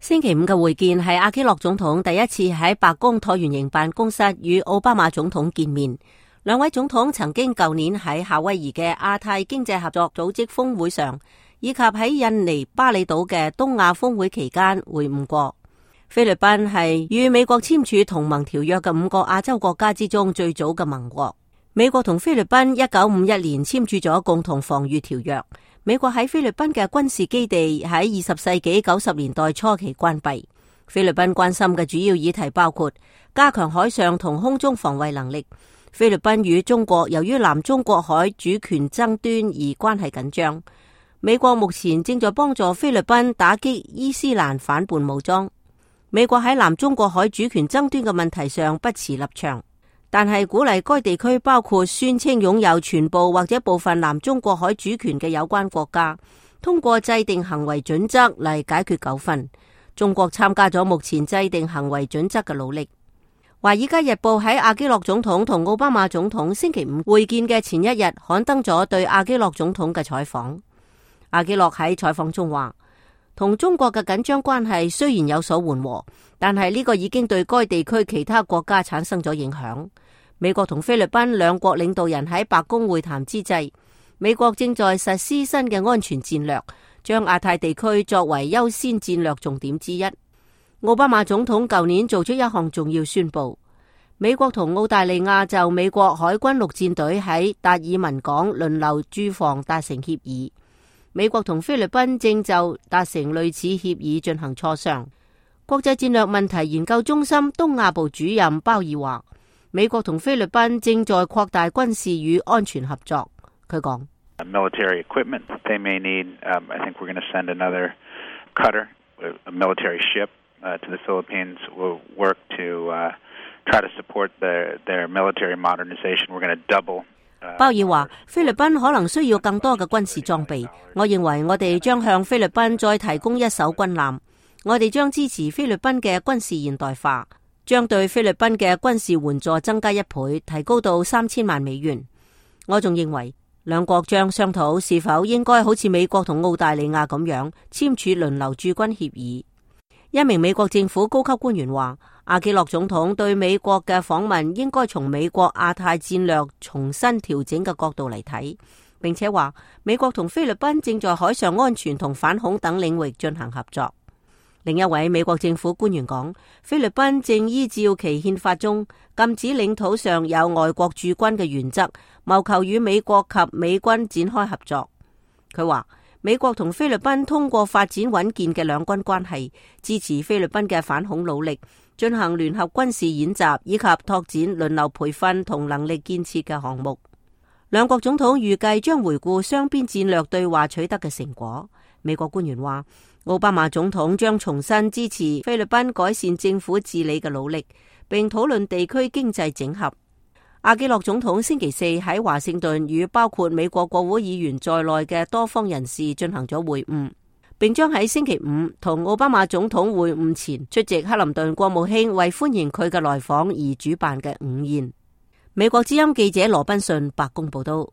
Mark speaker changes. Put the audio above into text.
Speaker 1: 星期五嘅會見係阿基諾總統第一次喺白宮橢圓形辦公室與奧巴馬總統見面。兩位總統曾經舊年喺夏威夷嘅亞太經濟合作組織峰會上，以及喺印尼巴厘島嘅東亞峰會期間會晤過。菲律賓係與美國簽署同盟條約嘅5個亞洲國家之中最早嘅盟國。美國同菲律賓1951年簽署咗共同防禦條約。美國喺菲律賓嘅軍事基地喺20世紀90年代初期關閉。菲律賓關心嘅主要議題包括加強海上同空中防衛能力。菲律賓與中國由於南中國海主權爭端而關係緊張。美國目前正在幫助菲律賓打擊伊斯蘭反叛武裝。美國喺南中國海主權爭端嘅問題上不持立場，但係鼓勵該地區包括宣稱擁有全部或者部分南中國海主權嘅有關國家，通過制定行為準則嚟解決糾紛。中國參加咗目前制定行為準則嘅努力。華爾街日報喺阿基諾總統同奧巴馬總統星期五會見嘅前一日刊登咗對阿基諾總統嘅採訪。阿基諾喺採訪中話，同中國嘅緊張關係雖然有所緩和，但係呢個已經對該地區其他國家產生咗影響。美國同菲律賓兩國領導人喺白宮會談之際，美國正在實施新嘅安全戰略，將亞太地區作為優先戰略重點之一。奧巴馬總統舊年做出一項重要宣布，美國同澳大利亞就美國海軍陸戰隊喺達爾文港輪流駐防達成協議。美國同菲律賓正就達成類似協議進行磋商。國際戰略問題研究中心東亞部主任鮑爾話，美國同菲律賓正在擴大軍事與安全合作。佢講
Speaker 2: ，military equipment they may need. I think we're going to send another cutter, a military ship, to the Philippines. We'll work to try to support their military modernization. We're going to double.
Speaker 1: 鮑爾話，菲律賓可能需要更多嘅軍事裝備。我認為我哋將向菲律賓再提供一艘軍艦。我哋將支持菲律賓嘅軍事現代化，將對菲律賓嘅軍事援助增加1倍，提高到3000萬美元。我仲認為兩國將商討是否應該好似美國同澳大利亞咁樣簽署輪流駐軍協議。一名美國政府高級官員話，阿基諾總統對美國嘅訪問應該從美國亞太戰略重新調整嘅角度嚟睇，並且話美國同菲律賓正在海上安全同反恐等領域進行合作。另一位美國政府官員講，菲律賓正依照其憲法中禁止領土上有外國駐軍嘅原則，謀求與美國及美軍展開合作。佢話，美國同菲律賓通過發展穩健嘅兩軍關係，支持菲律賓嘅反恐努力，進行聯合軍事演習，以及拓展輪流培訓同能力建設嘅項目。兩國總統預計將回顧雙邊戰略對話取得嘅成果。美國官員話，奧巴馬總統將重新支持菲律賓改善政府治理嘅努力，並討論地區經濟整合。阿基諾總統星期四喺華盛頓與包括美國國會議員在內嘅多方人士進行咗會晤，並將喺星期五同奧巴馬總統會晤前出席克林頓國務卿為歡迎佢嘅來訪而主辦嘅午宴。美國之音記者羅賓遜白宮報道。